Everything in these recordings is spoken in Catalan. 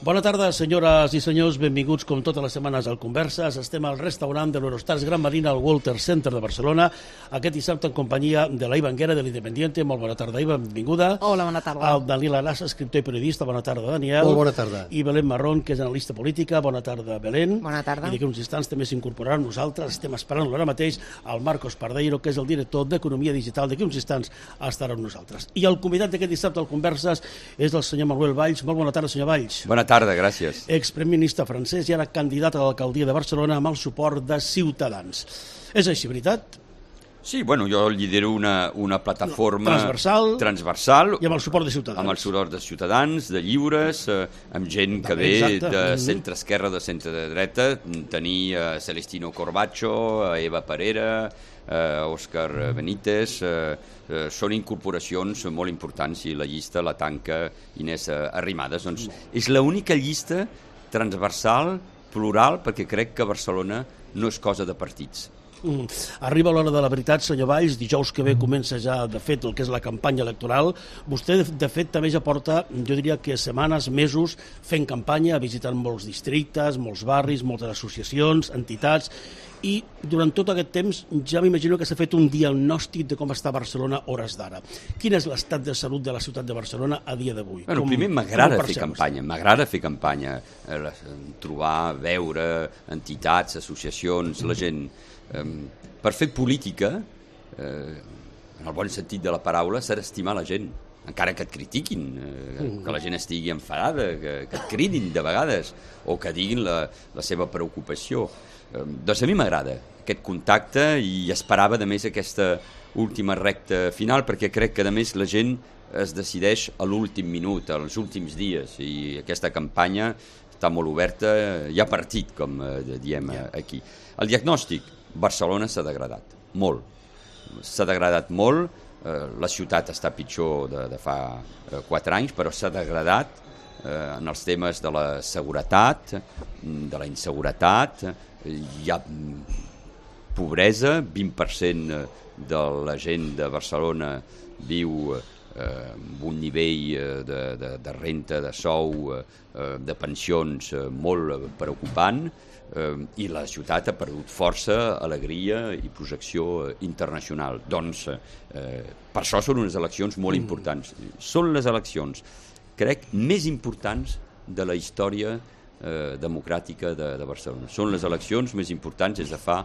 Bona tarda, senyores i senyors, benvinguts com totes les setmanes al Converses. Estem al restaurant de l'Eurostars Gran Marina al Walter Center de Barcelona, aquest dissabte en companyia de la Iva Anguera de l'Independiente. Molt bona tarda, Iva, benvinguda. Hola, bona tarda. El Daniel Arasa, escriptor i periodista. Bona tarda, Daniel. Molt bona tarda. I Belén Marrón, que és analista política. Bona tarda, Belén. Bona tarda. I d'aquí uns instants també s'incorporarà amb nosaltres. Estem esperant-lo ara mateix al Marcos Pardeiro, que és el director d'Economia Digital. D'aquí uns instants estarà amb nosaltres. I el convidat d'aquest dissabte al Converses és el senyor Manuel Valls. Molt bona tarda, senyor Valls. Bona tarda, gràcies. Exprem ministre francès i ara candidat a l'alcaldia de Barcelona amb el suport de Ciutadans. És així, veritat? Sí, bueno, jo lidero una plataforma transversal i amb el suport de Ciutadans. Amb el suport de Ciutadans, de lliures, amb gent que ve de centre-esquerra, de centre-dreta, tenir Celestino Corbacho, Eva Parera, Òscar Benítez, són incorporacions molt importants i la llista la tanca Inés Arrimadas. Doncs és l'única llista transversal, plural, perquè crec que Barcelona no és cosa de partits. Arriba l'hora de la veritat, senyor Valls. Dijous que ve comença ja, de fet, el que és la campanya electoral. Vostè, de fet, també ja porta, jo diria que setmanes, mesos, fent campanya, visitant molts districtes, molts barris, moltes associacions, entitats, i durant tot aquest temps ja m'imagino que s'ha fet un diagnòstic de com està Barcelona hores d'ara. Quin és l'estat de salut de la ciutat de Barcelona a dia d'avui? Bueno, primer m'agrada fer campanya, trobar, veure entitats, associacions, la gent. Per fer política, en el bon sentit de la paraula, s'ha d'estimar la gent, encara que et critiquin, que la gent estigui enfadada, que et cridin de vegades, o que diguin la seva preocupació. Doncs a mi m'agrada aquest contacte i esperava, a més, aquesta última recta final, perquè crec que, a més, la gent es decideix a l'últim minut, als últims dies, i aquesta campanya està molt oberta, hi ha partit, com diem aquí. El diagnòstic, Barcelona s'ha degradat, molt. S'ha degradat molt, la ciutat està pitjor de fa 4 anys, però s'ha degradat en els temes de la seguretat, de la inseguretat, hi ha pobresa, 20% de la gent de Barcelona viu amb un nivell de renta, de sou, de pensions molt preocupant, i la ciutat ha perdut força, alegria i projecció internacional. Doncs per això són unes eleccions molt importants. Són les eleccions, crec, més importants de la història democràtica de Barcelona. Són les eleccions més importants des de fa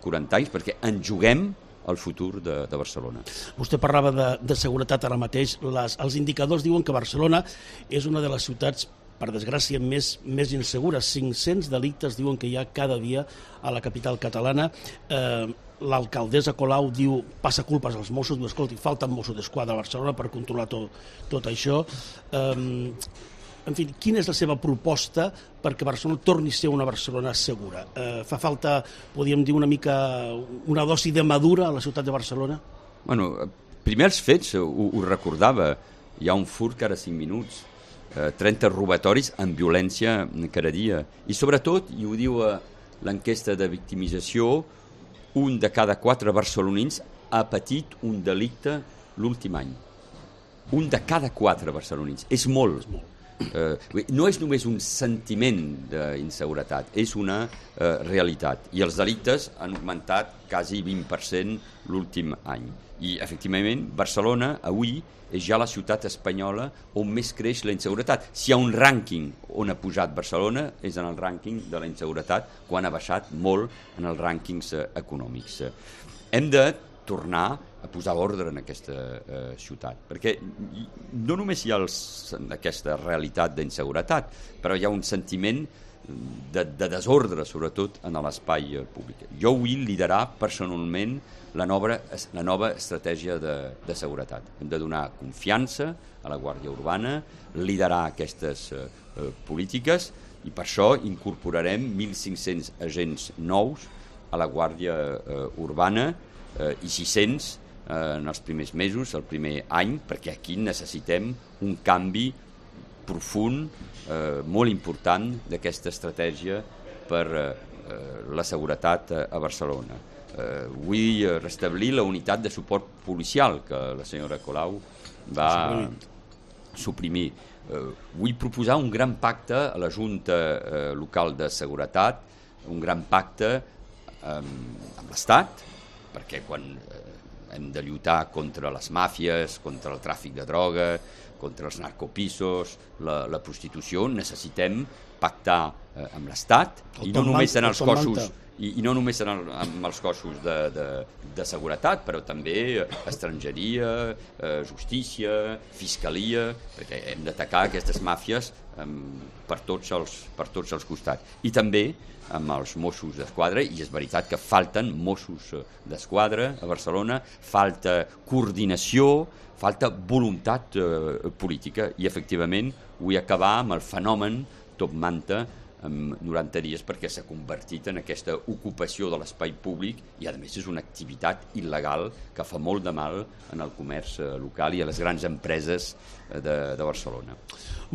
40 anys perquè ens juguem el futur de Barcelona. Vostè parlava de seguretat ara mateix. Els indicadors diuen que Barcelona és una de les ciutats, per desgràcia, més insegures. 500 delictes diuen que hi ha cada dia a la capital catalana. L'alcaldessa Colau diu, passa culpes als Mossos, diu, escolti, falten Mossos d'Esquadra a Barcelona per controlar tot això. En fi, quina és la seva proposta perquè Barcelona torni a ser una Barcelona segura? Fa falta, podríem dir, una dosi de madura a la ciutat de Barcelona? Bueno, primer els fets, ho recordava, hi ha un furt cada 5 minuts, 30 robatoris amb violència cada dia. I sobretot, i ho diu l'enquesta de victimització, un de cada 4 barcelonins ha patit un delicte l'últim any. Un de cada 4 barcelonins. És molt. No és només un sentiment d'inseguretat, és una realitat. I els delictes han augmentat quasi 20% l'últim any. I, efectivament, Barcelona, avui, és ja la ciutat espanyola on més creix la inseguretat. Si hi ha un rànquing on ha pujat Barcelona, és en el rànquing de la inseguretat, quan ha baixat molt en els rànquings econòmics. Hem de tornar a posar ordre en aquesta ciutat, perquè no només hi ha aquesta realitat d'inseguretat, però hi ha un sentiment de desordre, sobretot en l'espai públic. Jo vull liderar personalment la nova estratègia de seguretat. Hem de donar confiança a la Guàrdia Urbana, liderar aquestes polítiques, i per això incorporarem 1.500 agents nous a la Guàrdia Urbana i 600 en els primers mesos, el primer any, perquè aquí necessitem un canvi profund, molt important d'aquesta estratègia per la seguretat a Barcelona. Vull restablir la unitat de suport policial que la senyora Colau va suprimir. Vull proposar un gran pacte a la Junta Local de Seguretat, un gran pacte amb l'Estat, perquè quan hem de lluitar contra les màfies, contra el tràfic de droga, contra els narcopisos, la prostitució, necessitem pactar amb l'Estat, i no només en els cossos, i no només amb els cossos de seguretat, però també estrangeria, justícia, fiscalia, perquè hem d'atacar aquestes màfies per tots els costats. I també amb els Mossos d'Esquadra, i és veritat que falten Mossos d'Esquadra a Barcelona, falta coordinació, falta voluntat política, i efectivament vull acabar amb el fenomen top manta en 90 dies, perquè s'ha convertit en aquesta ocupació de l'espai públic i a més és una activitat il·legal que fa molt de mal en el comerç local i a les grans empreses de Barcelona.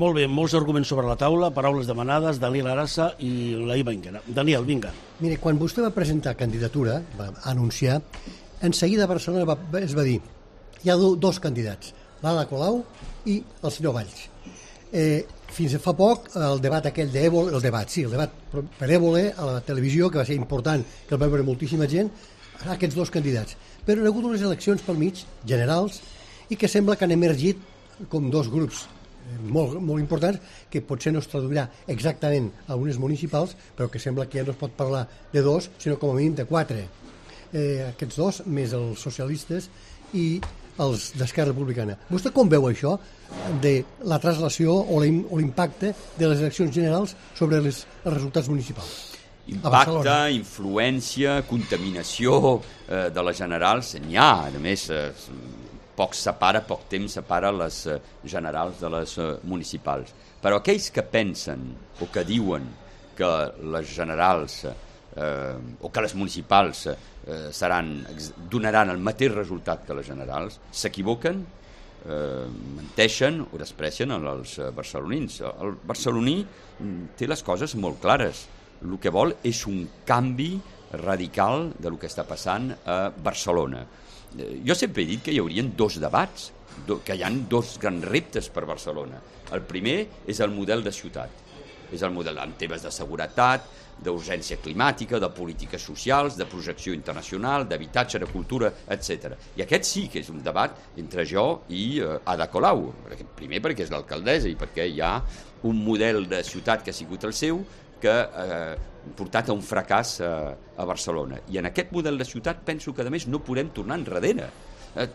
Molt bé, molts arguments sobre la taula, paraules demanades, Daniel Arassa i la Iva Enguera. Daniel, vinga. Mire, quan vostè va presentar candidatura, va anunciar, en seguida a Barcelona es va dir hi ha dos candidats, l'Ada Colau i el senyor Valls. Fins a fa poc, el debat aquell d'Évole, el debat per Évole a la televisió, que va ser important, que el va veure moltíssima gent, aquests dos candidats. Però hi ha hagut unes eleccions pel mig, generals, i que sembla que han emergit com dos grups molt, molt importants, que potser no es traduirà exactament a unes municipals, però que sembla que ja no es pot parlar de dos, sinó com a mínim de 4. Aquests dos, més els socialistes i els d'Esquerra Republicana. Vostè com veu això de la traslació o l'impacte de les eleccions generals sobre els resultats municipals? Impacte, influència, contaminació de les generals, n'hi ha. A més, poc temps separa les generals de les municipals. Però aquells que pensen o que diuen que les generals o que les municipals donaran el mateix resultat que les generals, s'equivoquen, menteixen o desprecien els barcelonins. El barceloní té les coses molt clares. El que vol és un canvi radical del que està passant a Barcelona. Jo sempre he dit que hi haurien dos debats, que hi ha dos grans reptes per Barcelona. El primer és el model de ciutat. És el model en temes de seguretat, d'urgència climàtica, de polítiques socials, de projecció internacional, d'habitatge, de cultura, etc. I aquest sí que és un debat entre jo i Ada Colau. Primer perquè és l'alcaldessa i perquè hi ha un model de ciutat que ha sigut el seu que ha portat a un fracàs a Barcelona. I en aquest model de ciutat penso que a més no podem tornar enrere.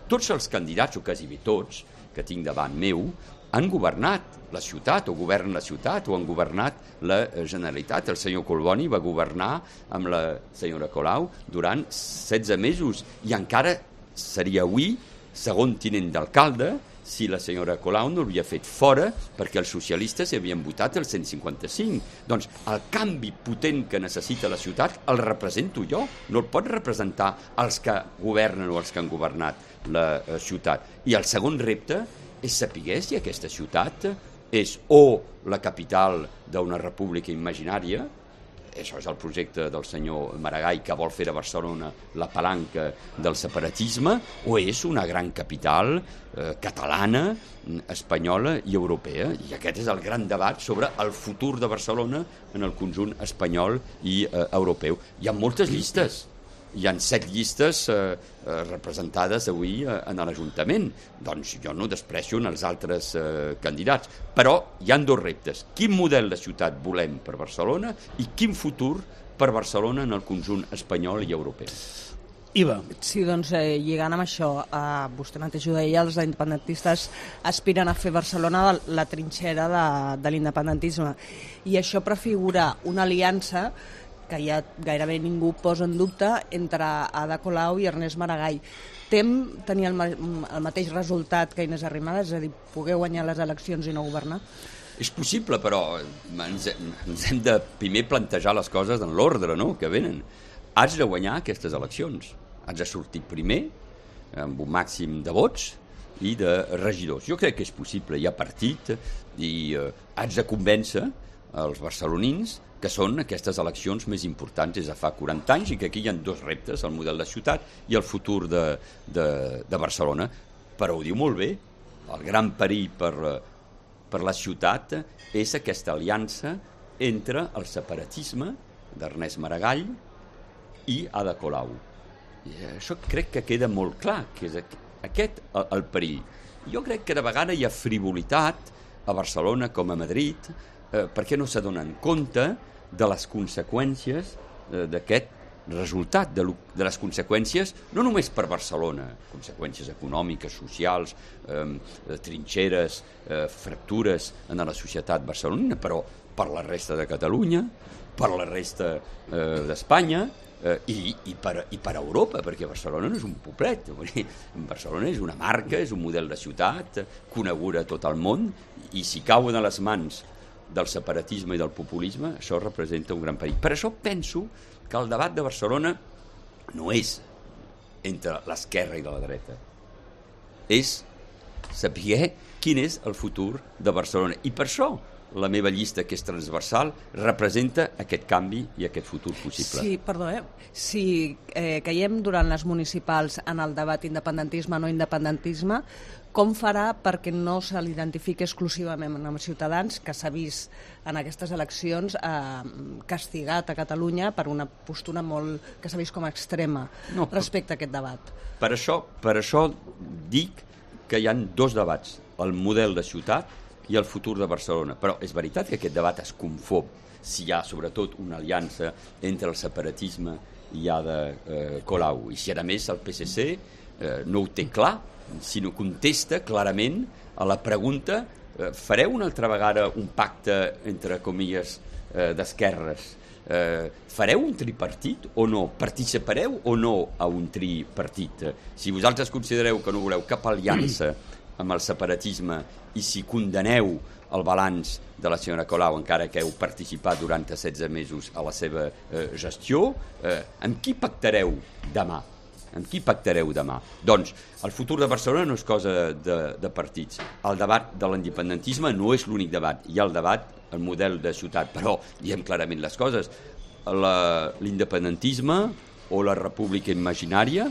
Tots els candidats, o quasi bé tots, que tinc davant meu, han governat la ciutat o governen la ciutat o han governat la Generalitat. El senyor Collboni va governar amb la senyora Colau durant 16 mesos i encara seria avui segon tinent d'alcalde si la senyora Colau no l'havia fet fora perquè els socialistes havien votat el 155. Doncs el canvi potent que necessita la ciutat el represento jo, no el pot representar els que governen o els que han governat la ciutat. I el segon repte és saber si aquesta ciutat és o la capital d'una república imaginària, això és el projecte del senyor Maragall que vol fer de Barcelona la palanca del separatisme, o és una gran capital catalana, espanyola i europea. I aquest és el gran debat sobre el futur de Barcelona en el conjunt espanyol i europeu. Hi ha moltes llistes. Hi ha 7 llistes representades avui en l'Ajuntament. Doncs jo no desprecio els altres candidats. Però hi han dos reptes. Quin model de ciutat volem per Barcelona i quin futur per Barcelona en el conjunt espanyol i europeu? Iva. Sí, doncs lligant amb això, vostè mateix ho deia, els independentistes aspiren a fer Barcelona la trinxera de l'independentisme. I això prefigura una aliança que ja gairebé ningú posa en dubte entre Ada Colau i Ernest Maragall. Tem tenir el mateix resultat que Inés Arrimadas, és a dir, poder guanyar les eleccions i no governar? És possible, però ens hem de primer plantejar les coses en l'ordre, no?, que venen. Has de guanyar aquestes eleccions. Has de sortir primer, amb un màxim de vots i de regidors. Jo crec que és possible, hi ha partit, i has de convèncer els barcelonins que són aquestes eleccions més importants des de fa 40 anys i que aquí hi ha dos reptes, el model de ciutat i el futur de Barcelona. Però ho diu molt bé, el gran perill per per la ciutat és aquesta aliança entre el separatisme d'Ernest Maragall i Ada Colau. I això crec que queda molt clar, que és aquest el perill. Jo crec que de vegades hi ha frivolitat a Barcelona com a Madrid perquè no s'adonen compte de les conseqüències d'aquest resultat, de les conseqüències no només per Barcelona, conseqüències econòmiques, socials, trinxeres, fractures en la societat barcelonina, però per la resta de Catalunya, per la resta d'Espanya, i per Europa, perquè Barcelona no és un poblet, Barcelona és una marca, és un model de ciutat coneguda a tot el món, i si cauen a les mans del separatisme i del populisme, això representa un gran perill. Per això penso que el debat de Barcelona no és entre l'esquerra i la dreta, és saber quin és el futur de Barcelona, i per això la meva llista, que és transversal, representa aquest canvi i aquest futur possible. Sí, perdó, si caiem durant les municipals en el debat independentisme-no independentisme, com farà perquè no se l'identifiqui exclusivament amb Ciutadans, que s'ha vist en aquestes eleccions castigat a Catalunya per una postura molt que s'ha vist com a extrema respecte a aquest debat? Per això dic que hi ha dos debats, el model de ciutat i el futur de Barcelona. Però és veritat que aquest debat es confon si hi ha sobretot una aliança entre el separatisme i Ada Colau. I si a més el PSC no ho té clar, sinó contesta clarament a la pregunta fareu una altra vegada un pacte entre comilles d'esquerres? Fareu un tripartit o no? Participareu o no a un tripartit? Si vosaltres considereu que no voleu cap aliança amb el separatisme i si condeneu el balanç de la senyora Colau, encara que heu participat durant 16 mesos a la seva gestió, amb qui pactareu demà? Amb qui pactareu demà? Doncs el futur de Barcelona no és cosa de partits. El debat de l'independentisme no és l'únic debat. Hi ha el debat, el model de ciutat, però diem clarament les coses. L'independentisme o la república imaginària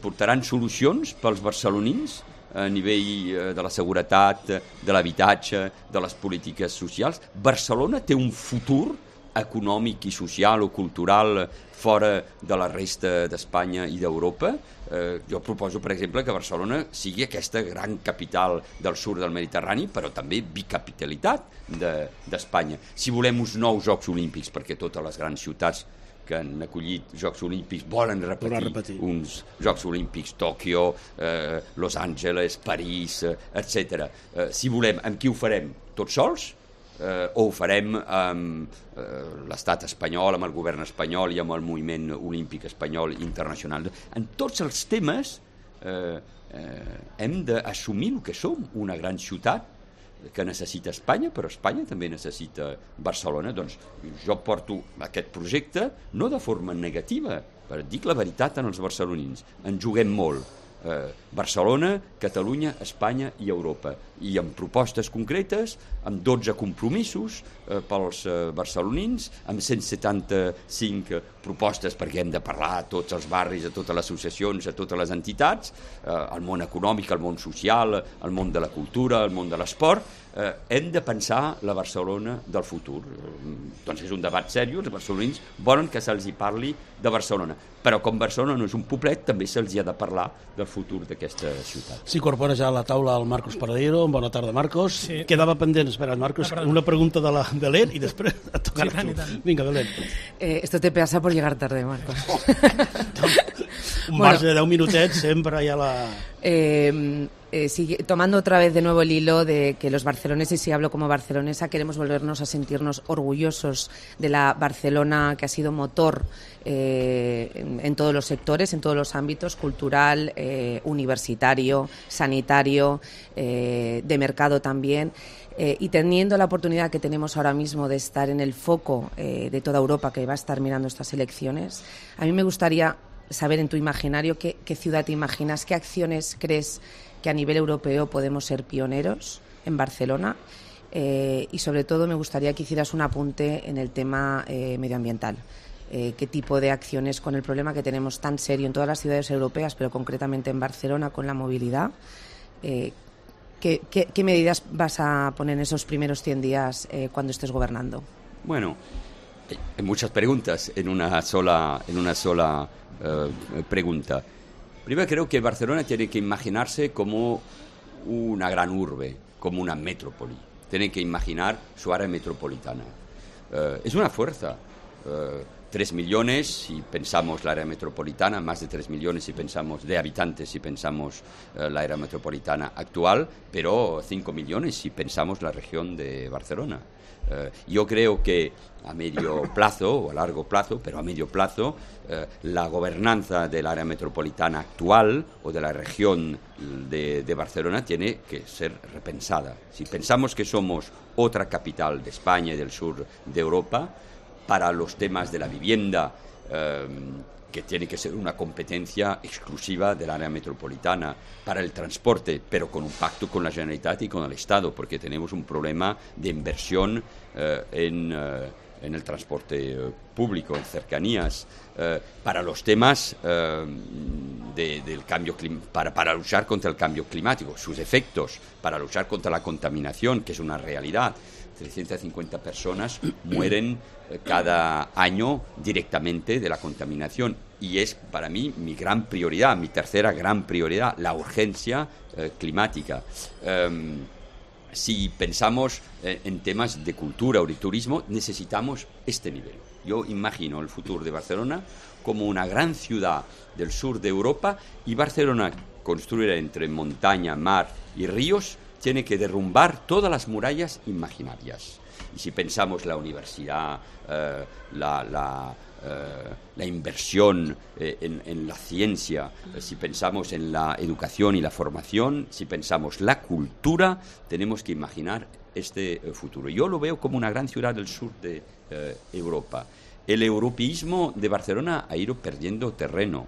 portaran solucions pels barcelonins a nivell de la seguretat, de l'habitatge, de les polítiques socials. Barcelona té un futur econòmic i social o cultural fora de la resta d'Espanya i d'Europa. Jo proposo, per exemple, que Barcelona sigui aquesta gran capital del sud del Mediterrani, però també bicapitalitat d'Espanya. Si volem uns nous Jocs Olímpics, perquè totes les grans ciutats que han acollit Jocs Olímpics volen repetir uns Jocs Olímpics, Tòquio, Los Angeles, París, etc. Si volem, amb qui ho farem? Tots sols? O ho farem amb l'estat espanyol, amb el govern espanyol i amb el moviment olímpic espanyol internacional? En tots els temes hem d'assumir el que som, una gran ciutat que necessita Espanya, però Espanya també necessita Barcelona. Doncs jo porto aquest projecte no de forma negativa, però dic la veritat als barcelonins. En juguem molt. Barcelona, Catalunya, Espanya i Europa, i amb propostes concretes, amb 12 compromisos pels barcelonins, amb 175 propostes, perquè hem de parlar a tots els barris, a totes les associacions, a totes les entitats, al món econòmic, al món social, al món de la cultura, al món de l'esport. Hem de pensar la Barcelona del futur. Doncs és un debat seriós, els barcelonins volen que se'ls hi parli de Barcelona, però com Barcelona no és un poblet, també se'ls hi ha de parlar del futur d'aquesta ciutat. S'incorpora ja a la taula el Marcos Paradero. Bona tarda, Marcos. Sí. Quedava pendent, espera, Marcos, una pregunta de la Belén i després et tocarà tu. Vinga, Belén. Esto te pasa por llegar tarde, Marcos. Un marge de 10 minutets sempre hi ha la... tomando otra vez de nuevo el hilo de que los barceloneses, y si hablo como barcelonesa, queremos volvernos a sentirnos orgullosos de la Barcelona que ha sido motor en todos los sectores, en todos los ámbitos, cultural, universitario, sanitario, de mercado también. Y teniendo la oportunidad que tenemos ahora mismo de estar en el foco de toda Europa que va a estar mirando estas elecciones, a mí me gustaría saber en tu imaginario qué ciudad te imaginas, qué acciones crees que a nivel europeo podemos ser pioneros en Barcelona, y sobre todo me gustaría que hicieras un apunte en el tema medioambiental. Qué tipo de acciones, con el problema que tenemos tan serio en todas las ciudades europeas, pero concretamente en Barcelona con la movilidad, ¿Qué medidas vas a poner en esos primeros 100 días cuando estés gobernando? Bueno, hay muchas preguntas en una sola pregunta. Primero, creo que Barcelona tiene que imaginarse como una gran urbe, como una metrópoli. Tiene que imaginar su área metropolitana. Es una fuerza. 3 millones si pensamos la área metropolitana, más de 3 millones si pensamos de habitantes, si pensamos la área metropolitana actual, pero 5 millones si pensamos la región de Barcelona. Yo creo que a medio plazo o a largo plazo, pero a medio plazo, la gobernanza del área metropolitana actual o de la región de Barcelona tiene que ser repensada. Si pensamos que somos otra capital de España y del sur de Europa, para los temas de la vivienda, que tiene que ser una competencia exclusiva del área metropolitana, para el transporte, pero con un pacto con la Generalitat y con el Estado, porque tenemos un problema de inversión en el transporte público, en cercanías, para los temas del cambio para luchar contra el cambio climático, sus efectos, para luchar contra la contaminación, que es una realidad. 350 personas mueren cada año directamente de la contaminación y es para mí mi gran prioridad, mi tercera gran prioridad, la urgencia climática. Si pensamos en temas de cultura o de turismo, necesitamos este nivel. Yo imagino el futuro de Barcelona como una gran ciudad del sur de Europa y Barcelona construida entre montaña, mar y ríos tiene que derrumbar todas las murallas imaginarias. Y si pensamos la universidad, la inversión en la ciencia, si pensamos en la educación y la formación, si pensamos la cultura, tenemos que imaginar este futuro. Yo lo veo como una gran ciudad del sur de Europa. El europeísmo de Barcelona ha ido perdiendo terreno.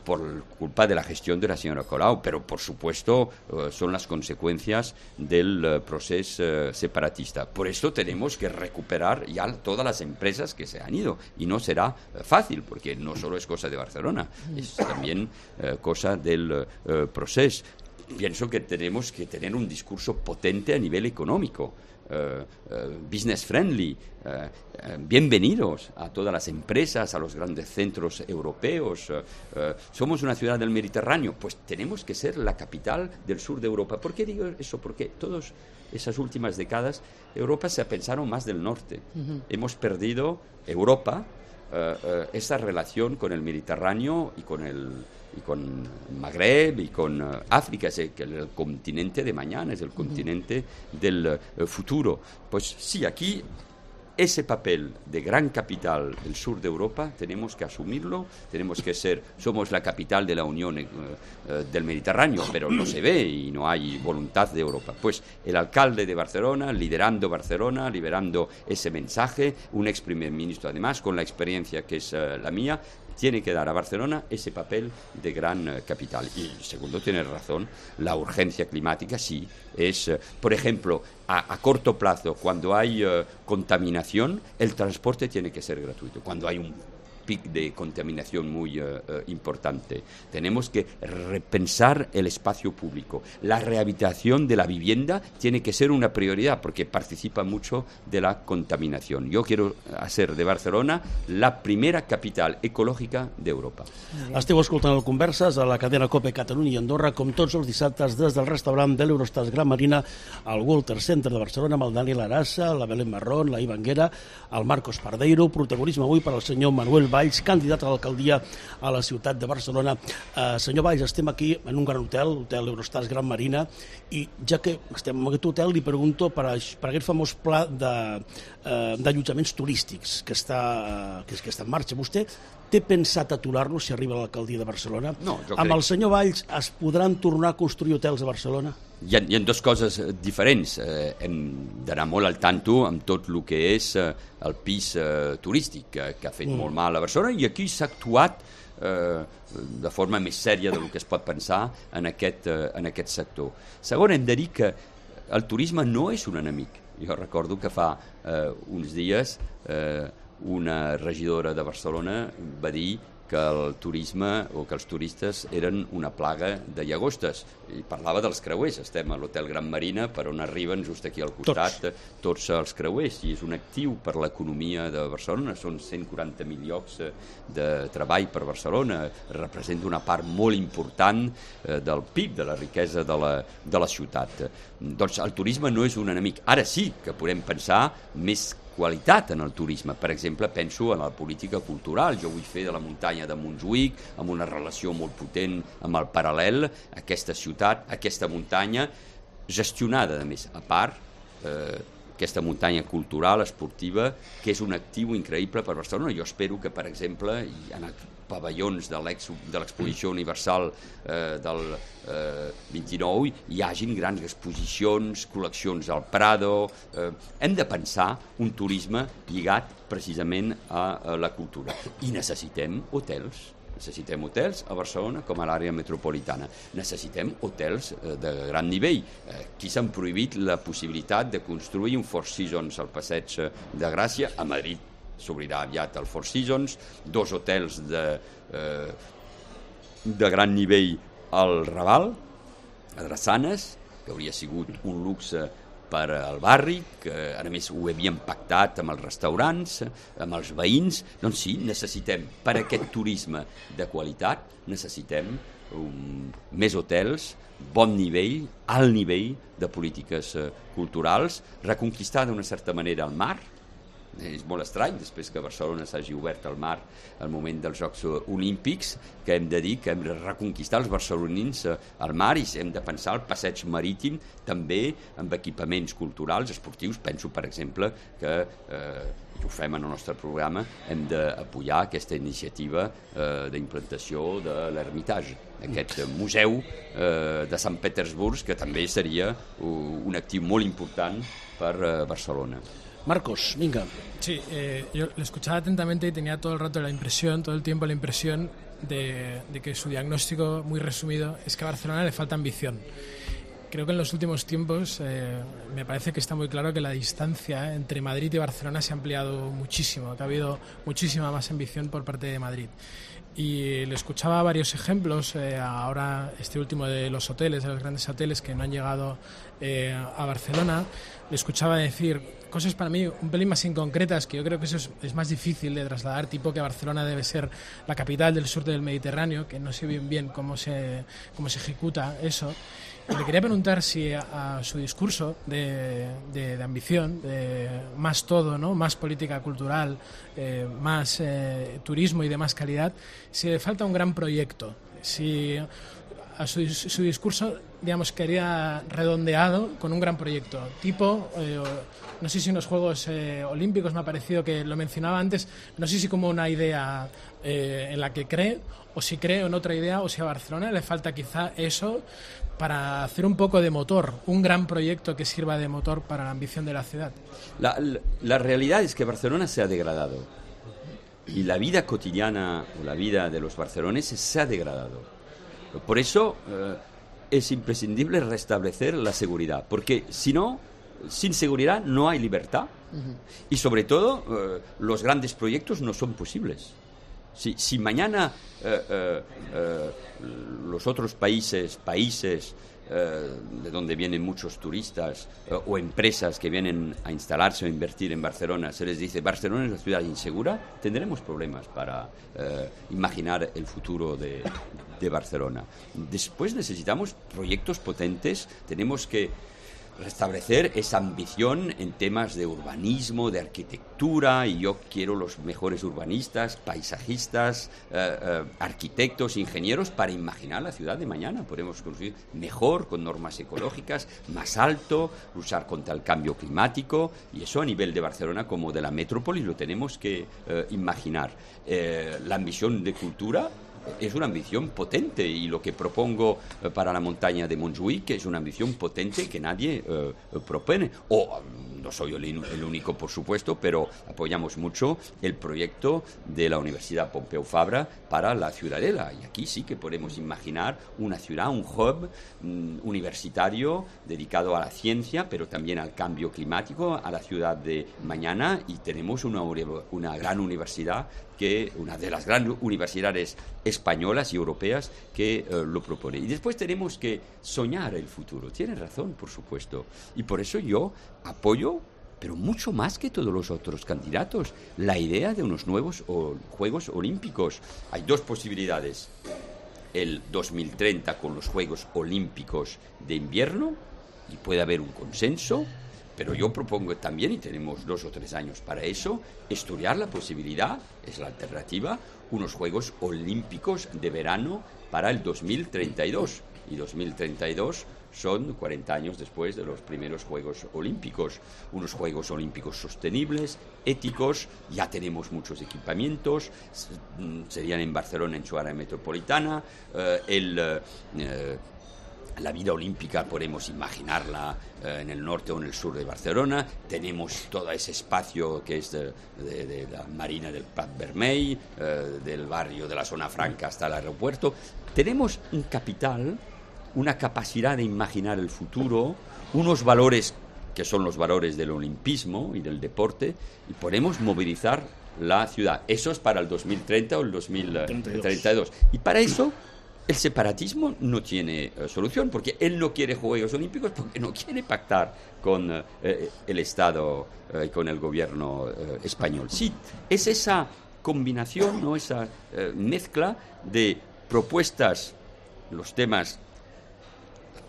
Por culpa de la gestión de la señora Colau, pero por supuesto son las consecuencias del proceso separatista. Por eso tenemos que recuperar ya todas las empresas que se han ido y no será fácil porque no solo es cosa de Barcelona, es también cosa del proceso. Pienso que tenemos que tener un discurso potente a nivel económico. Business friendly, bienvenidos a todas las empresas, a los grandes centros europeos. Somos una ciudad del Mediterráneo, pues tenemos que ser la capital del sur de Europa. ¿Por qué digo eso? Porque todas esas últimas décadas Europa se ha pensado más del norte. Hemos perdido Europa, esa relación con el Mediterráneo y con Magreb y con África, es el continente de mañana, es el continente del futuro. Pues sí, aquí ese papel de gran capital del sur de Europa tenemos que asumirlo, somos la capital de la Unión del Mediterráneo, pero no se ve y no hay voluntad de Europa. Pues el alcalde de Barcelona, liderando ese mensaje, un ex primer ministro además, con la experiencia que es la mía, tiene que dar a Barcelona ese papel de gran capital. Y segundo, tiene razón, la urgencia climática sí es, por ejemplo, a corto plazo, cuando hay contaminación, el transporte tiene que ser gratuito. Cuando hay un pic de contaminación muy importante, tenemos que repensar el espacio público. La rehabilitación de la vivienda tiene que ser una prioridad porque participa mucho de la contaminación. Yo quiero hacer de Barcelona la primera capital ecològica d'Europa. Esteu escoltant el Converses a la cadena COPE Catalunya i Andorra, com tots els dissabtes des del restaurant de l'Eurostars Gran Marina al Walter Center de Barcelona amb el Daniel Arassa, la Belén Marrón, la Iva Anguera, el Marcos Pardeiro, protagonisme avui per al senyor Manuel Valls, candidat a l'alcaldia a la ciutat de Barcelona. Senyor Valls, estem aquí en un gran hotel, l'hotel Eurostars Gran Marina, i ja que estem en aquest hotel li pregunto per aquest famós pla d'allotjaments turístics que està en marxa. Vostè té pensat aturar-lo si arriba a l'alcaldia de Barcelona? No, jo crec. Amb el senyor Valls es podran tornar a construir hotels a Barcelona? Hi ha dues coses diferents. Hem d'anar molt al tanto amb tot el que és el pis turístic, que ha fet molt mal a Barcelona, i aquí s'ha actuat de forma més sèria del que es pot pensar en aquest sector. Segon, hem de dir que el turisme no és un enemic. Jo recordo que fa uns dies una regidora de Barcelona va dir que el turisme o que els turistes eren una plaga de llagostes. I parlava dels creuers. Estem a l'Hotel Gran Marina, per on arriben just aquí al costat tots els creuers, i és un actiu per l'economia de Barcelona. Són 140.000 llocs de treball per Barcelona. Representa una part molt important del PIB, de la riquesa de la ciutat. Doncs el turisme no és un enemic. Ara sí que podem pensar més qualitat en el turisme. Per exemple, penso en la política cultural. Jo vull fer de la muntanya de Montjuïc, amb una relació molt potent amb el Paral·lel, aquesta ciutat, aquesta muntanya, gestionada, a més, a part, aquesta muntanya cultural, esportiva, que és un actiu increïble per Barcelona. Jo espero que, per exemple, en els pavellons de l'exposició universal del 29 hi hagin grans exposicions, col·leccions al Prado. Hem de pensar un turisme lligat precisament a la cultura. I necessitem hotels. Necessitem hotels a Barcelona com a l'àrea metropolitana. Necessitem hotels de gran nivell. Aquí s'han prohibit la possibilitat de construir un Four Seasons al Passeig de Gràcia. A Madrid s'obrirà aviat el Four Seasons, 2 hotels de gran nivell al Raval, a Drassanes, que hauria sigut un luxe per al barri, que a més ho havíem pactat amb els restaurants, amb els veïns. Doncs sí, necessitem, per aquest turisme de qualitat, necessitem més hotels, bon nivell, alt nivell de polítiques culturals, reconquistar d'una certa manera el mar. És molt estrany, després que Barcelona s'hagi obert al mar al moment dels Jocs Olímpics, que hem de dir que hem de reconquistar els barcelonins al mar i hem de pensar el passeig marítim també amb equipaments culturals, esportius. Penso, per exemple, que ho fem en el nostre programa, hem d'apoyar aquesta iniciativa d'implantació de l'Hermitage, aquest museu de Sant Petersburg, que també seria un actiu molt important per Barcelona. Marcos, venga. Sí, yo lo escuchaba atentamente y tenía todo el rato todo el tiempo la impresión de que su diagnóstico, muy resumido, es que a Barcelona le falta ambición. Creo que en los últimos tiempos me parece que está muy claro que la distancia entre Madrid y Barcelona se ha ampliado muchísimo, que ha habido muchísima más ambición por parte de Madrid. Y le escuchaba varios ejemplos, ahora este último de los hoteles, de los grandes hoteles que no han llegado a Barcelona. Le escuchaba decir cosas para mí un pelín más inconcretas, que yo creo que eso es más difícil de trasladar, tipo que Barcelona debe ser la capital del sur del Mediterráneo, que no sé bien cómo se ejecuta eso. Y le quería preguntar si a su discurso de ambición, de más todo, ¿no? Más política cultural, más turismo y de más calidad, si le falta un gran proyecto, si a su discurso, digamos, quería redondeado con un gran proyecto, tipo, no sé si en los Juegos Olímpicos me ha parecido que lo mencionaba antes, no sé si como una idea en la que cree, o si cree en otra idea, o si a Barcelona le falta quizá eso para hacer un poco de motor, un gran proyecto que sirva de motor para la ambición de la ciudad. La realidad es que Barcelona se ha degradado y la vida cotidiana o la vida de los barceloneses se ha degradado. Por eso es imprescindible restablecer la seguridad, porque si no, sin seguridad no hay libertad y sobre todo los grandes proyectos no son posibles. Si mañana los otros países de donde vienen muchos turistas o empresas que vienen a instalarse o invertir en Barcelona, se les dice Barcelona es una ciudad insegura, tendremos problemas para imaginar el futuro de Barcelona. Después necesitamos proyectos potentes, tenemos que restablecer esa ambición en temas de urbanismo, de arquitectura, y yo quiero los mejores urbanistas, paisajistas, arquitectos, ingenieros para imaginar la ciudad de mañana. Podemos construir mejor, con normas ecológicas, más alto, luchar contra el cambio climático, y eso a nivel de Barcelona como de la metrópolis lo tenemos que imaginar. La ambición de cultura es una ambición potente, y lo que propongo para la montaña de Montjuïc es una ambición potente que nadie propone. O no soy el único, por supuesto, pero apoyamos mucho el proyecto de la Universidad Pompeu Fabra para la Ciudadela. Y aquí sí que podemos imaginar una ciudad, un hub universitario dedicado a la ciencia, pero también al cambio climático, a la ciudad de mañana, y tenemos una gran universidad, una de las grandes universidades españolas y europeas que lo propone. Y después tenemos que soñar el futuro. Tiene razón, por supuesto. Y por eso yo apoyo, pero mucho más que todos los otros candidatos, la idea de unos nuevos Juegos Olímpicos. Hay dos posibilidades. El 2030 con los Juegos Olímpicos de invierno, y puede haber un consenso. Pero yo propongo también, y tenemos 2 o 3 años para eso, estudiar la posibilidad, es la alternativa, unos Juegos Olímpicos de verano para el 2032. Y 2032 son 40 años después de los primeros Juegos Olímpicos. Unos Juegos Olímpicos sostenibles, éticos, ya tenemos muchos equipamientos, serían en Barcelona, en su área metropolitana, la vida olímpica podemos imaginarla en el norte o en el sur de Barcelona. Tenemos todo ese espacio que es de la Marina del Prat Vermell, del barrio de la Zona Franca hasta el aeropuerto. Tenemos un capital, una capacidad de imaginar el futuro, unos valores que son los valores del olimpismo y del deporte, y podemos movilizar la ciudad. Eso es para el 2030 o el 2032. Y para eso el separatismo no tiene solución, porque él no quiere Juegos Olímpicos, porque no quiere pactar con el Estado y con el gobierno español. Sí, es esa combinación, ¿no? Esa mezcla de propuestas, los temas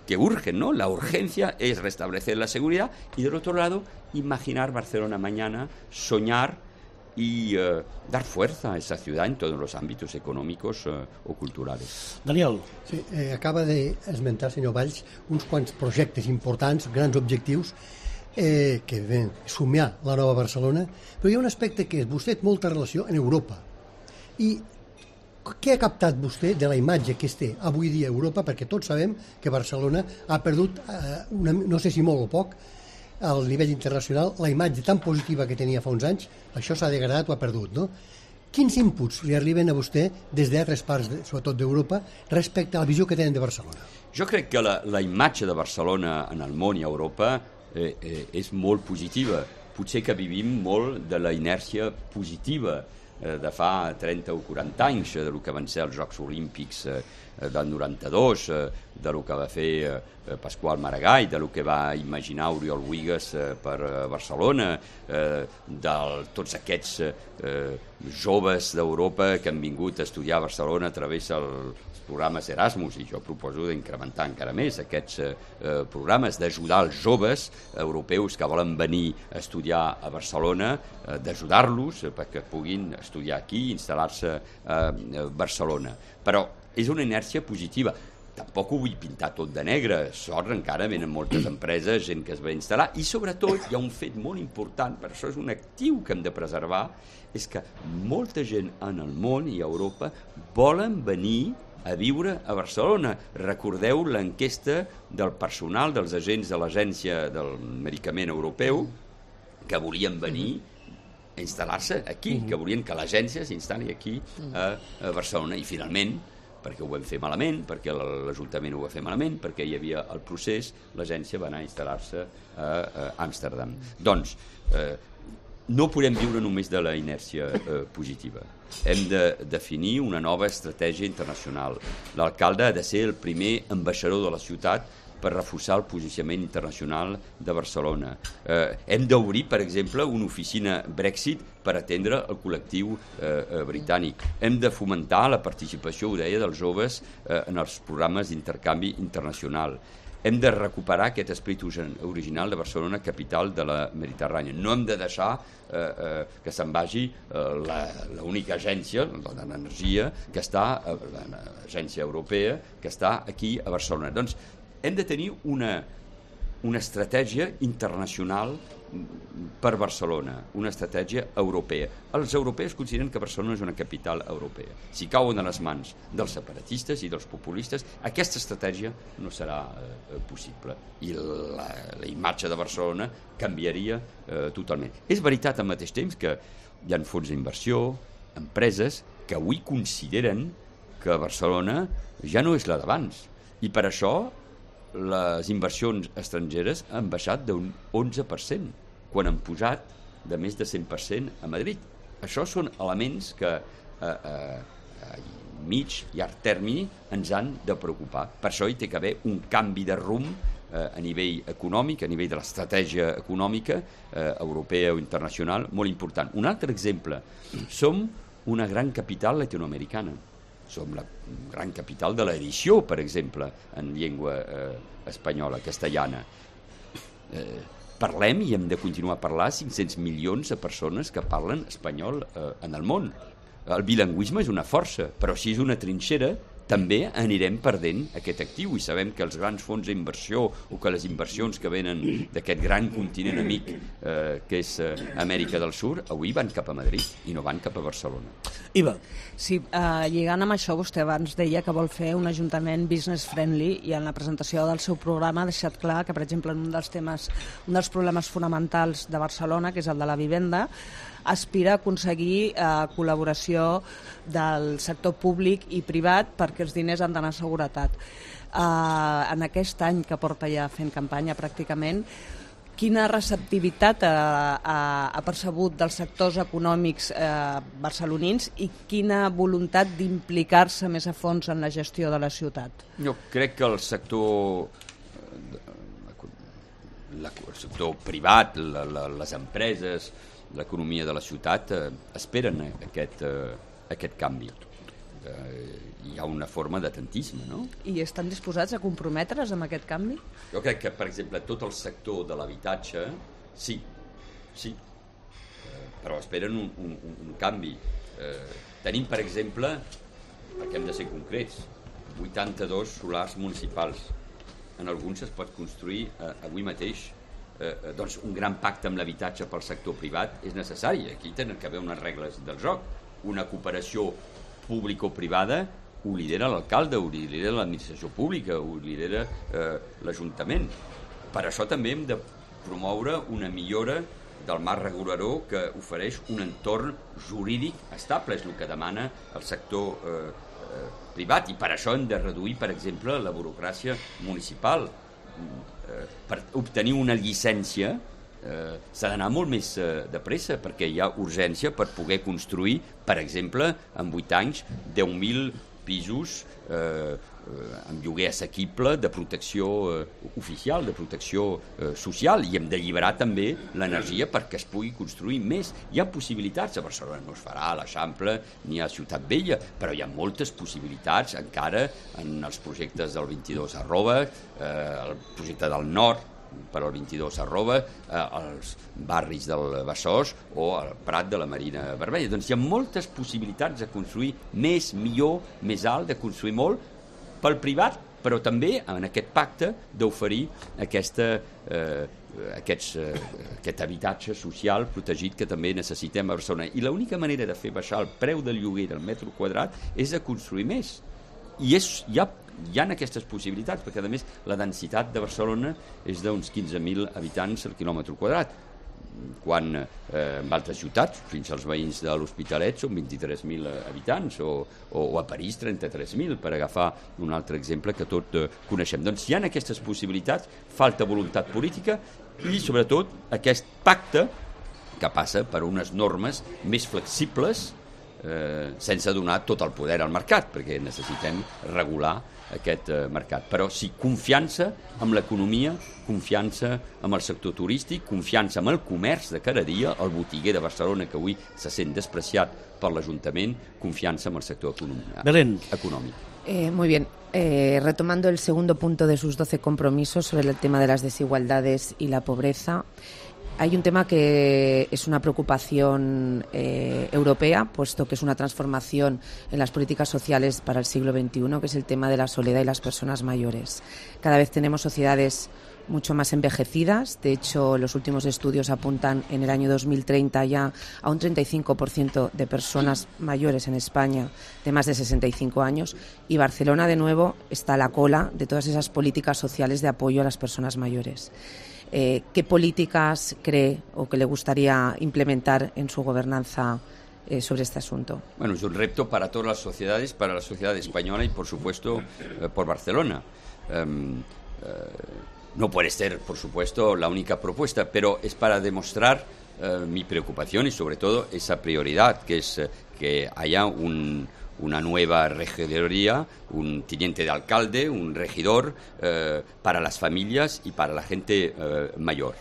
que urgen, ¿no? La urgencia es restablecer la seguridad y, del otro lado, imaginar Barcelona mañana, soñar y dar fuerza a esa ciudad en todos los ámbitos econòmics o culturals. Daniel. Sí, acaba d'esmentar, senyor Valls, uns quants projectes importants, grans objectius, que ven somiar la nova Barcelona, però hi ha un aspecte que és, vostè té molta relació en Europa. I què ha captat vostè de la imatge que es té avui dia a Europa? Perquè tots sabem que Barcelona ha perdut, no sé si molt o poc, al nivell internacional, la imatge tan positiva que tenia fa uns anys, això s'ha degradat o ha perdut, no? Quins inputs li arriben a vostè des d'altres parts, sobretot d'Europa, respecte a la visió que tenen de Barcelona? Jo crec que la imatge de Barcelona en el món i a Europa és molt positiva. Potser que vivim molt de la inèrcia positiva de fa 30 o 40 anys, del que van ser els Jocs Olímpics del 92, del que va fer Pasqual Maragall, del que va imaginar Oriol Bohigas per Barcelona, de tots aquests joves d'Europa que han vingut a estudiar a Barcelona a través dels programes Erasmus, i jo proposo d'incrementar encara més aquests programes, d'ajudar els joves europeus que volen venir a estudiar a Barcelona, d'ajudar-los perquè puguin estudiar aquí i instal·lar-se a Barcelona. Però és una inèrcia positiva. Tampoc ho vull pintar tot de negre, sort encara venen moltes empreses, gent que es va instal·lar, i sobretot hi ha un fet molt important, per això és un actiu que hem de preservar, és que molta gent en el món i a Europa volen venir a viure a Barcelona. Recordeu l'enquesta del personal, dels agents de l'Agència del Medicament Europeu, que volien venir a instal·lar-se aquí, que volien que l'agència s'instal·li aquí a Barcelona, i finalment, perquè ho vam fer malament, perquè l'Ajuntament ho va fer malament, perquè hi havia el procés, l'agència va anar a instal·lar-se a Amsterdam. Doncs, no podem viure només de la inèrcia positiva. Hem de definir una nova estratègia internacional. L'alcalde ha de ser el primer ambaixador de la ciutat per reforçar el posicionament internacional de Barcelona. Hem d'obrir, per exemple, una oficina Brexit per atendre el col·lectiu britànic. Hem de fomentar la participació, ho deia, dels joves en els programes d'intercanvi internacional. Hem de recuperar aquest esperit original de Barcelona, capital de la Mediterrània. No hem de deixar que se'n vagi l'única agència d'energia que està, l'agència europea, que està aquí a Barcelona. Doncs hem de tenir una una estratègia internacional per Barcelona, una estratègia europea. Els europeus consideren que Barcelona és una capital europea. Si cauen a les mans dels separatistes i dels populistes, aquesta estratègia no serà possible i la imatge de Barcelona canviaria totalment. És veritat al mateix temps que hi ha fons d'inversió, empreses que avui consideren que Barcelona ja no és la d'abans i per això les inversions estrangeres han baixat d'un 11%, quan han posat de més de 100% a Madrid. Això són elements que a mig i llarg termini ens han de preocupar. Per això hi té que haver un canvi de rumb a nivell econòmic, a nivell de l'estratègia econòmica europea o internacional, molt important. Un altre exemple, som una gran capital latinoamericana. Som la gran capital de l'edició, per exemple, en llengua espanyola, castellana. Parlem i hem de continuar a parlar 500 milions de persones que parlen espanyol en el món. El bilingüisme és una força, però si és una trinxera també anirem perdent aquest actiu i sabem que els grans fons d'inversió o que les inversions que venen d'aquest gran continent amic que és Amèrica del Sud avui van cap a Madrid i no van cap a Barcelona. Iva. Sí, lligant amb això, vostè abans deia que vol fer un ajuntament business friendly i en la presentació del seu programa ha deixat clar que, per exemple, un dels problemes fonamentals de Barcelona, que és el de la vivenda, aspira a aconseguir col·laboració del sector públic i privat perquè els diners han d'anar a seguretat. En aquest any que porta ja fent campanya pràcticament, quina receptivitat ha percebut dels sectors econòmics barcelonins i quina voluntat d'implicar-se més a fons en la gestió de la ciutat? Jo crec que el sector privat, les empreses, l'economia de la ciutat esperen aquest canvi. Hi ha una forma d'atentisme, no? I estan disposats a comprometre's amb aquest canvi? Jo crec que, per exemple, tot el sector de l'habitatge, sí, però esperen un canvi. Tenim, per exemple, perquè hem de ser concrets, 82 solars municipals. En alguns es pot construir avui mateix. Doncs un gran pacte amb l'habitatge pel sector privat és necessari. Aquí tenen que haver unes regles del joc. Una cooperació público-privada ho lidera l'alcalde, ho lidera l'administració pública, ho lidera l'Ajuntament. Per això també hem de promoure una millora del marc regulador que ofereix un entorn jurídic estable, és el que demana el sector privat, i per això hem de reduir, per exemple, la burocràcia municipal. Per obtenir una llicència s'ha d'anar molt més de pressa perquè hi ha urgència per poder construir, per exemple, en 8 anys 10.000 pisos amb lloguer assequible de protecció oficial, de protecció social, i hem d'alliberar també l'energia perquè es pugui construir més. Hi ha possibilitats, a Barcelona no es farà a l'Eixample ni a Ciutat Vella, però hi ha moltes possibilitats encara en els projectes del 22 el projecte del Nord per al 22 els barris del Besòs o el Prat de la Marina Vermella. Doncs hi ha moltes possibilitats de construir més, millor, més alt, de construir molt pel privat, però també en aquest pacte d'oferir aquest habitatge social protegit que també necessitem a Barcelona. I l'única manera de fer baixar el preu del lloguer del metre quadrat és de construir més. I hi ha aquestes possibilitats, perquè a més la densitat de Barcelona és d'uns 15.000 habitants al quilòmetre quadrat, quan en altres ciutats, fins als veïns de l'Hospitalet, són 23.000 habitants, o a París 33.000, per agafar un altre exemple que tot coneixem. Doncs hi ha aquestes possibilitats, falta voluntat política i sobretot aquest pacte que passa per unes normes més flexibles sense donar tot el poder al mercat, perquè necessitem regular aquest mercat. Però sí, confiança amb l'economia, confiança amb el sector turístic, confiança amb el comerç de cada dia, el botiguer de Barcelona que avui se sent despreciat per l'Ajuntament, confiança amb el sector econòmic. Muy bien. Retomando el segundo punto de sus 12 compromisos sobre el tema de las desigualdades y la pobreza, hay un tema que es una preocupación europea, puesto que es una transformación en las políticas sociales para el siglo XXI, que es el tema de la soledad y las personas mayores. Cada vez tenemos sociedades mucho más envejecidas. De hecho, los últimos estudios apuntan en el año 2030 ya a un 35% de personas mayores en España de más de 65 años, y Barcelona de nuevo está a la cola de todas esas políticas sociales de apoyo a las personas mayores. ¿Qué políticas cree o que le gustaría implementar en su gobernanza sobre este asunto? Bueno, es un reto para todas las sociedades, para la sociedad española y, por supuesto, por Barcelona. No puede ser, por supuesto, la única propuesta, pero es para demostrar mi preocupación y, sobre todo, esa prioridad, que es que haya una nueva regidoría, un teniente de alcalde, un regidor para las familias y para la gente mayor.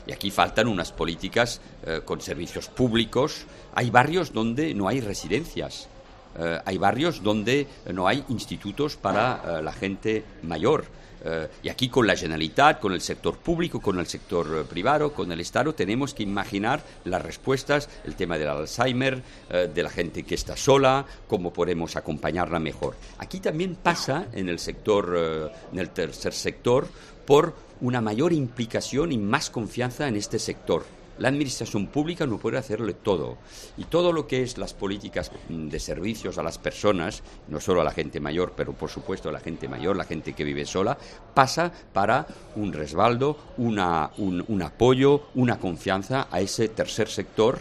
Y aquí faltan unas políticas con servicios públicos. Hay barrios donde no hay residencias, hay barrios donde no hay institutos para la gente mayor. Y aquí con la Generalitat, con el sector público, con el sector privado, con el Estado, tenemos que imaginar las respuestas, el tema del Alzheimer, de la gente que está sola, cómo podemos acompañarla mejor. Aquí también pasa en el sector, en el tercer sector, por una mayor implicación y más confianza en este sector. La administración pública no puede hacerle todo, y todo lo que es las políticas de servicios a las personas, no solo a la gente mayor, pero por supuesto a la gente mayor, la gente que vive sola, pasa para un respaldo, un apoyo, una confianza a ese tercer sector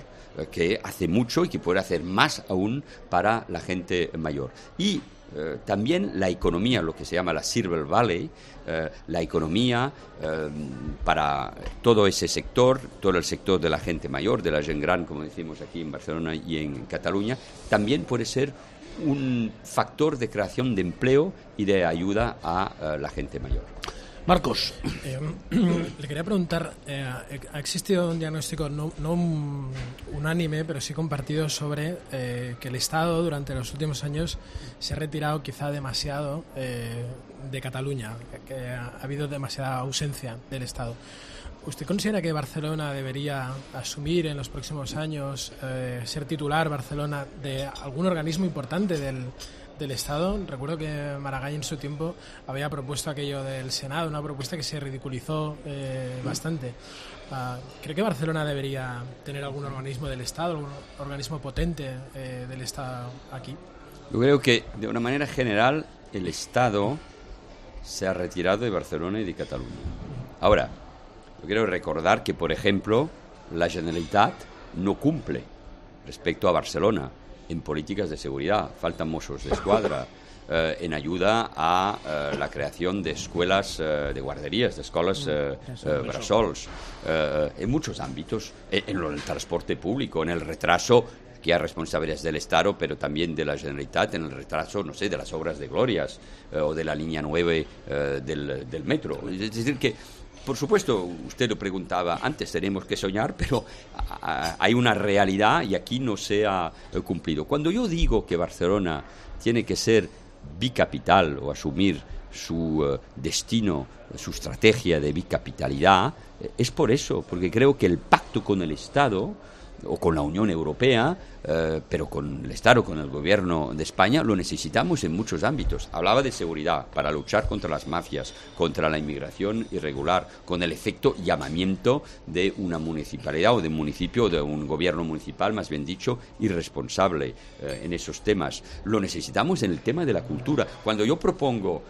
que hace mucho y que puede hacer más aún para la gente mayor. Y también la economía, lo que se llama la Silver Valley, la economía para todo ese sector, todo el sector de la gente mayor, de la gent gran, como decimos aquí en Barcelona y en Cataluña, también puede ser un factor de creación de empleo y de ayuda a la gente mayor. Marcos. Le quería preguntar, ha existido un diagnóstico no unánime, pero sí compartido sobre que el Estado durante los últimos años se ha retirado quizá demasiado de Cataluña, que ha habido demasiada ausencia del Estado. ¿Usted considera que Barcelona debería asumir en los próximos años ser titular Barcelona de algún organismo importante del Estado? Recuerdo que Maragall en su tiempo había propuesto aquello del Senado, una propuesta que se ridiculizó bastante. ¿Cree que Barcelona debería tener algún organismo del Estado, algún organismo potente del Estado aquí? Yo creo que de una manera general el Estado se ha retirado de Barcelona y de Cataluña. Ahora, yo quiero recordar que, por ejemplo, la Generalitat no cumple respecto a Barcelona en políticas de seguridad. Faltan Mossos d'Esquadra, en ayuda a la creación de escuelas de guarderías, de escuelas bressols, en muchos ámbitos, en el transporte público, en el retraso, que hay responsabilidades del Estado, pero también de la Generalitat, en el retraso, no sé, de las obras de Glorias o de la línea 9 del metro. Es decir, que por supuesto, usted lo preguntaba antes, tenemos que soñar, pero hay una realidad y aquí no se ha cumplido. Cuando yo digo que Barcelona tiene que ser bicapital o asumir su destino, su estrategia de bicapitalidad, es por eso, porque creo que el pacto con el Estado o con la Unión Europea, pero con el Estado, con el Gobierno de España, lo necesitamos en muchos ámbitos. Hablaba de seguridad, para luchar contra las mafias, contra la inmigración irregular, con el efecto llamamiento de una municipalidad o de un municipio, de un gobierno municipal, más bien dicho, irresponsable en esos temas. Lo necesitamos en el tema de la cultura. Cuando yo propongo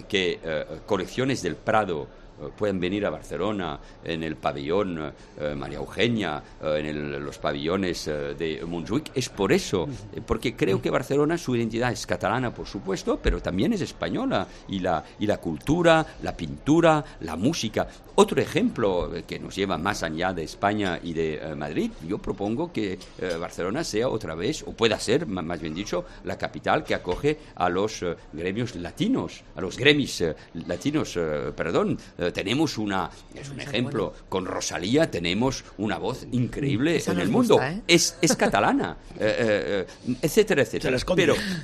que colecciones del Prado pueden venir a Barcelona, en el pabellón María Eugenia, en los pabellones de Montjuïc, es por eso, porque creo que Barcelona, su identidad es catalana, por supuesto, pero también es española, y la cultura, la pintura, la música. Otro ejemplo que nos lleva más allá de España y de Madrid, yo propongo que Barcelona sea otra vez, o pueda ser, más bien dicho, la capital que acoge a los gremios latinos, a los gremis latinos, tenemos es un ejemplo, con Rosalía tenemos una voz increíble en el mundo, es catalana, etcétera, etcétera.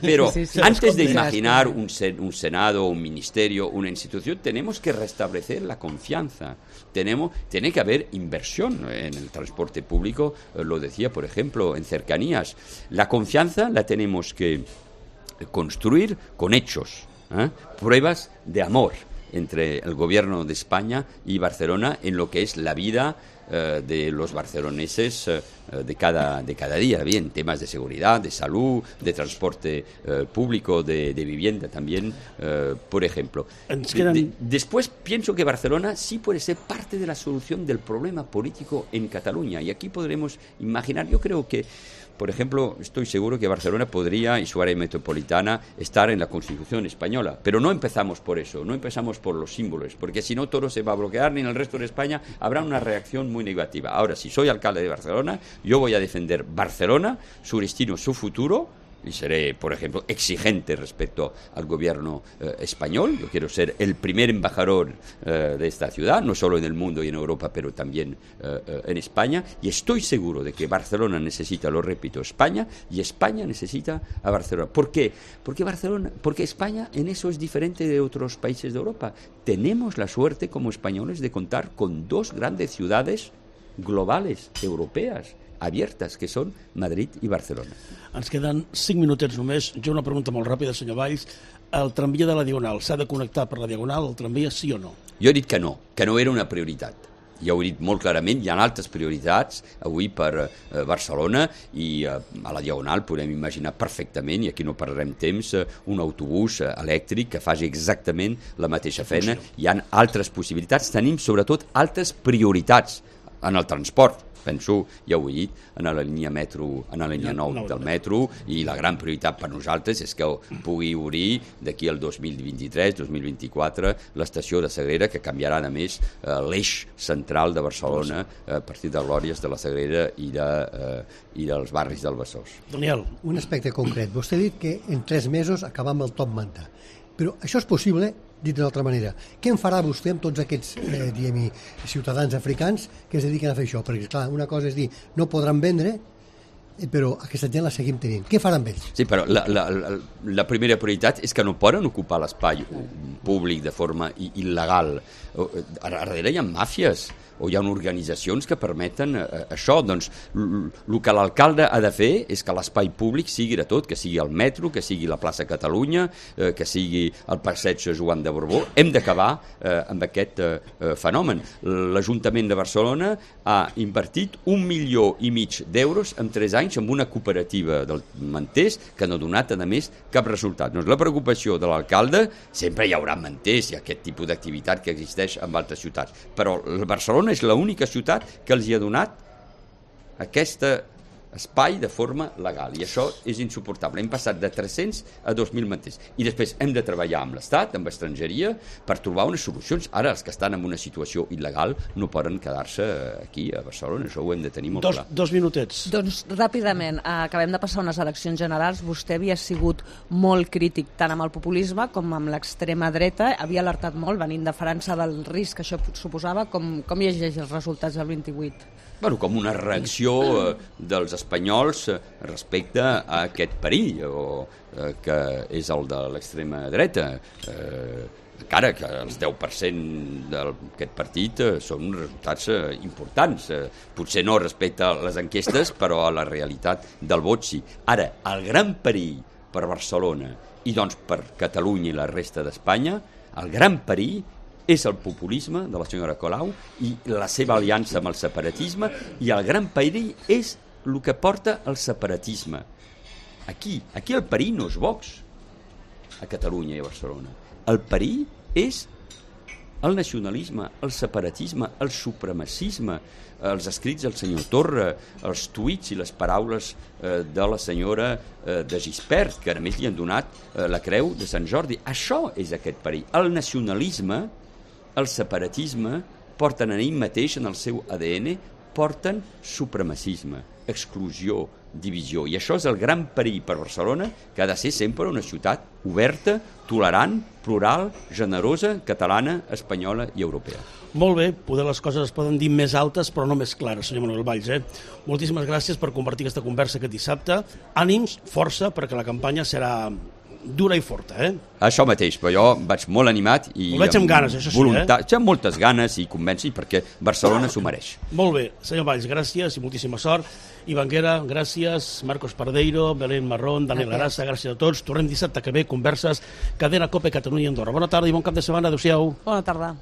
Pero antes de imaginar un Senado, un ministerio, una institución, tenemos que restablecer la confianza. Tiene que haber inversión en el transporte público, lo decía, por ejemplo, en cercanías. La confianza la tenemos que construir con hechos, pruebas de amor. entre el gobierno de España y Barcelona en lo que es la vida de los barceloneses de cada día, bien, temas de seguridad, de salud, de transporte público, de vivienda también, por ejemplo. Después pienso que Barcelona sí puede ser parte de la solución del problema político en Cataluña, y aquí podremos imaginar, yo creo que, por ejemplo, estoy seguro que Barcelona podría, y su área metropolitana, estar en la Constitución española. Pero no empezamos por eso, no empezamos por los símbolos, porque si no todo se va a bloquear, ni en el resto de España habrá una reacción muy negativa. Ahora, si soy alcalde de Barcelona, yo voy a defender Barcelona, su destino, su futuro, y seré, por ejemplo, exigente respecto al gobierno español. Yo quiero ser el primer embajador de esta ciudad, no solo en el mundo y en Europa, pero también en España, y estoy seguro de que Barcelona necesita, lo repito, España, y España necesita a Barcelona. ¿Por qué? Porque España en eso es diferente de otros países de Europa. Tenemos la suerte como españoles de contar con dos grandes ciudades globales, europeas, abiertes, que són Madrid i Barcelona. Ens queden 5 minutets només. Jo una pregunta molt ràpida, senyor Valls. El tramvia de la Diagonal s'ha de connectar per la Diagonal, el tramvia, sí o no? Jo he dit que no era una prioritat. Ja ho he dit molt clarament, hi ha altres prioritats avui per Barcelona, i a la Diagonal podem imaginar perfectament, i aquí no perdrem temps, un autobús elèctric que faci exactament la mateixa feina. Hi ha altres possibilitats, tenim sobretot altres prioritats en el transport. Penso, ja ho he dit, en la línia 9 del metro, i la gran prioritat per nosaltres és que pugui obrir d'aquí al 2023-2024 l'estació de Sagrera, que canviarà a més l'eix central de Barcelona a partir de Glòries, de la Sagrera i dels barris del Besòs. Daniel. Un aspecte concret. Vostè ha dit que en 3 mesos acabam el top manta. Però això és possible, dit d'una altra manera. Què en farà vostè amb tots aquests ciutadans africans que es dediquen a fer això? Perquè, clar, una cosa és dir, no podran vendre, però aquesta gent la seguim tenint. Què faran amb ells? Sí, però la primera prioritat és que no poden ocupar l'espai públic de forma il·legal. Darrere hi ha màfies, o hi ha organitzacions que permeten això. Doncs el que l'alcalde ha de fer és que l'espai públic sigui de tot, que sigui el metro, que sigui la plaça Catalunya, que sigui el passeig Joan de Borbó. Hem d'acabar amb aquest fenomen. L'Ajuntament de Barcelona ha invertit 1,5 milions d'euros en 3 anys en una cooperativa del manters que no ha donat, a més, cap resultat. Doncs la preocupació de l'alcalde, sempre hi haurà manters i aquest tipus d'activitat que existeix en altres ciutats, però Barcelona és l'única ciutat que els hi ha donat aquest espai de forma legal, i això és insuportable. Hem passat de 300 a 2.000 manters, i després hem de treballar amb l'Estat, amb estrangeria, per trobar unes solucions. Ara els que estan en una situació il·legal no poden quedar-se aquí a Barcelona, això ho hem de tenir molt clar. 2 minutets. Doncs ràpidament, acabem de passar unes eleccions generals. Vostè havia sigut molt crític tant amb el populisme com amb l'extrema dreta, havia alertat molt, venint de França, del risc que això suposava. Com llegeix els resultats del 28? Bueno, com una reacció dels espanyols respecte a aquest perill, que és el de l'extrema dreta. Encara que els 10% d'aquest partit són resultats importants. Potser no respecte a les enquestes, però a la realitat del vot sí. Ara, el gran perill per Barcelona i doncs per Catalunya i la resta d'Espanya, el gran perill és el populisme de la senyora Colau i la seva aliança amb el separatisme, i el gran perill és el que porta el separatisme. Aquí el perill no és Vox, a Catalunya i a Barcelona. El perill és el nacionalisme, el separatisme, el supremacisme, els escrits del senyor Torra, els tuits i les paraules de la senyora de Gispert, que a més li han donat la creu de Sant Jordi. Això és aquest perill. El nacionalisme, el separatisme porten en ell mateix, en el seu ADN, porten supremacisme, exclusió, divisió. I això és el gran perill per Barcelona, que ha de ser sempre una ciutat oberta, tolerant, plural, generosa, catalana, espanyola i europea. Molt bé, poder les coses es poden dir més altes però no més clares, senyor Manuel Valls. Moltíssimes gràcies per compartir aquesta conversa aquest dissabte. Ànims, força, perquè la campanya serà dura i forta, Això mateix, però jo vaig molt animat i ho veig amb ganes, això sí, amb moltes ganes i convenci perquè Barcelona s'ho mereix. Molt bé, senyor Valls, gràcies i moltíssima sort. Ivanguera, gràcies, Marcos Pardeiro, Belén Marrón, Daniel Arassa, gràcies a tots. Tornem dissabte que ve, converses, Cadena COPE Catalunya i Andorra. Bona tarda i bon cap de setmana, adéu-siau. Bona tarda.